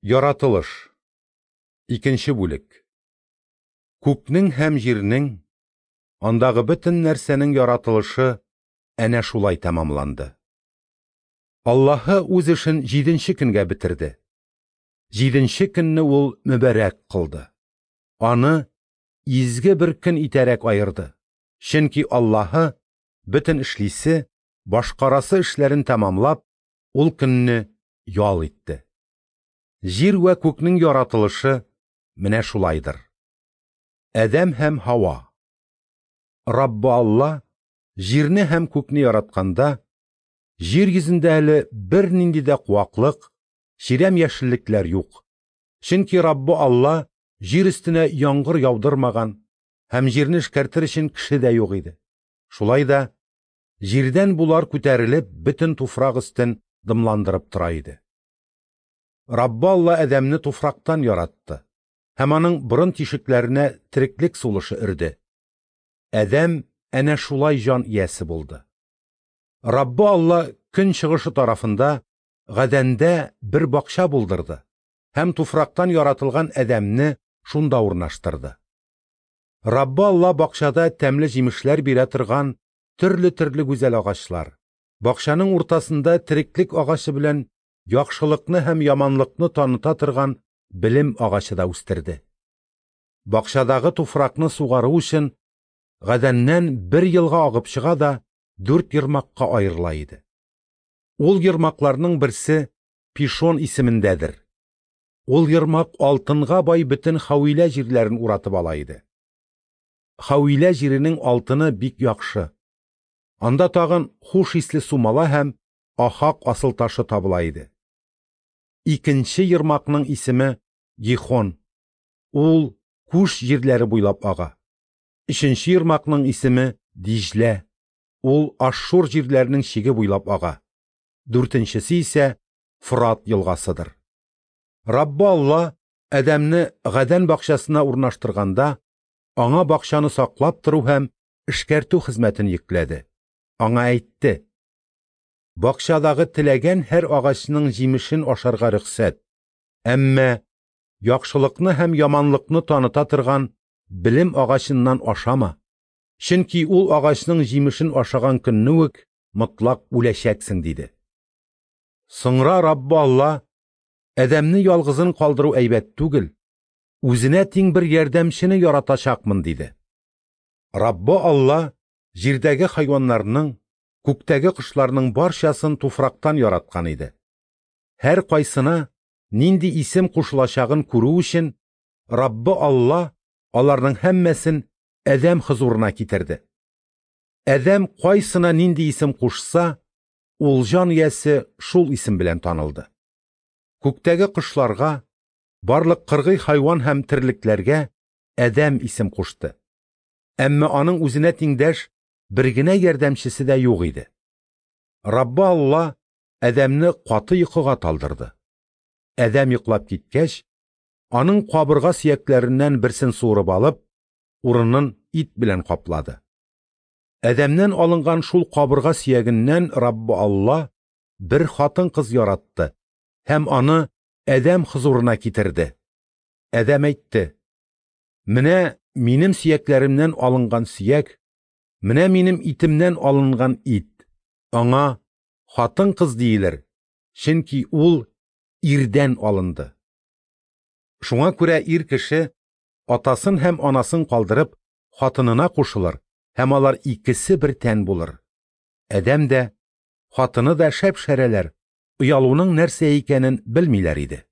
Яратылыш. Икенче бүлек. Күкнең һәм җирнең, андагы бөтен нәрсәнең яратылышы әнә шулай тәмамланды. Аллаһы үз эшен җиденче көнгә бетерде. Җиденче көнне ул мөбарәк кылды. Аны изге бер көн итәрәк аерды. Чөнки Аллаһы бөтен эшлисе, башкарасы эшләрен тәмамлап, ул көнне ял итте. Җир вә күкнең яратылышы менә шулайдыр. Адәм һәм Һава. Раббы Алла җирне һәм күкне яратканда, җир йөзендә әле бернинди дә куаклык, чирәм яшеллекләр юк. Чөнки Раббы Алла җир өстенә яңгыр яудырмаган һәм җирне эшкәртер өчен кеше дә юк иде. Шулай да җирдән булар күтәрелеп, бөтен туфрак өстен дымландырып тора иде. Раббы Алла Адәмне туфрактан яратты һәм аның борын тишекләренә тереклек сулышы өрде. Адәм әнә шулай җан иясе булды. Раббы Алла көн чыгышы тарафында Гадәндә бер бакча булдырды һәм туфрактан яратылган Адәмне шунда урнаштырды. Раббы Алла бакчада тәмле җимешләр бирә торган төрле-төрле гүзәл агачлар, бакчаның уртасында тереклек агачы белән яхшылыкны һәм яманлыкны таныта торган белем агачы да үстерде. Бакчадагы туфракны сугару өчен Гадәннән бер елга агып чыга да дүрт ермакка аерыла иде. Ул ермакларның берсе Пишон исемендәдер. Ул ермак алтынга бай бөтен Хавилә җирләрен уратып ала иде. Хавилә җиренең алтыны бик яхшы. Анда тагын хуш исле сумала һәм ахак асылташы табыла иде. Икенче ермакның исеме Гихон. Ул Куш җирләре буйлап ага. Өченче ермакның исеме Диҗлә. Ул Ашшур җирләренең чиге буйлап ага. Дүртенчесе исә Фрат елгасыдыр. Раббы Алла Адәмне Гадән бакчасына урнаштырганда, аңа бакчаны саклап тору һәм эшкәртү хезмәтен йөкләде. Аңа әйтте: Бакчадагы теләгән һәр агачның җимешен ашарга рөхсәт, әмма яхшылыкны һәм яманлыкны таныта торган белем агачыннан ашама, чөнки ул агачның җимешен ашаган көнне үк мотлак үләчәксең, диде. Соңра Раббы Алла: Адәмне ялгызын калдыру әйбәт түгел, үзенә тиң бер ярдәмчене яратачакмын, диде. Раббы Алла җирдәге хайваннарның, күктәге кошларның барчасын туфрактан яраткан иде. Һәр кайсына нинди исем кушылачагын күрү өчен Раббы Алла аларның һәммәсен Адәм хозурына китерде. Адәм кайсына нинди исем кушса, ул җан иясе шул исем белән танылды. Күктәге кошларга, барлык кыргый хайван һәм терлекләргә Адәм исем кушты. Әмма аның үзенә тиңдәш бер генә ярдәмчесе дә юк иде. Раббы Алла Адәмне каты йокыга талдырды. Адәм йоклап киткәч, аның кабырга сөякләреннән берсен суырып алып, урынын ит белән каплады. Адәмнән алынган шул кабырга сөягеннән Раббы Алла бер хатын-кыз яратты һәм аны Адәм хозурына китерде. Адәм әйтте: Менә минем сөякләремнән алынган сөяк, менә минем итемнән алынган ит. Аңа хатын-кыз диелер, чөнки ул ирдән алынды. Шуңа күрә ир кеше атасын һәм анасын калдырып, хатынына кушылыр, һәм алар икесе бер тән булыр. Адәм дә, хатыны да шәп-шәрәләр, оялуның нәрсә икәнен белмиләр иде.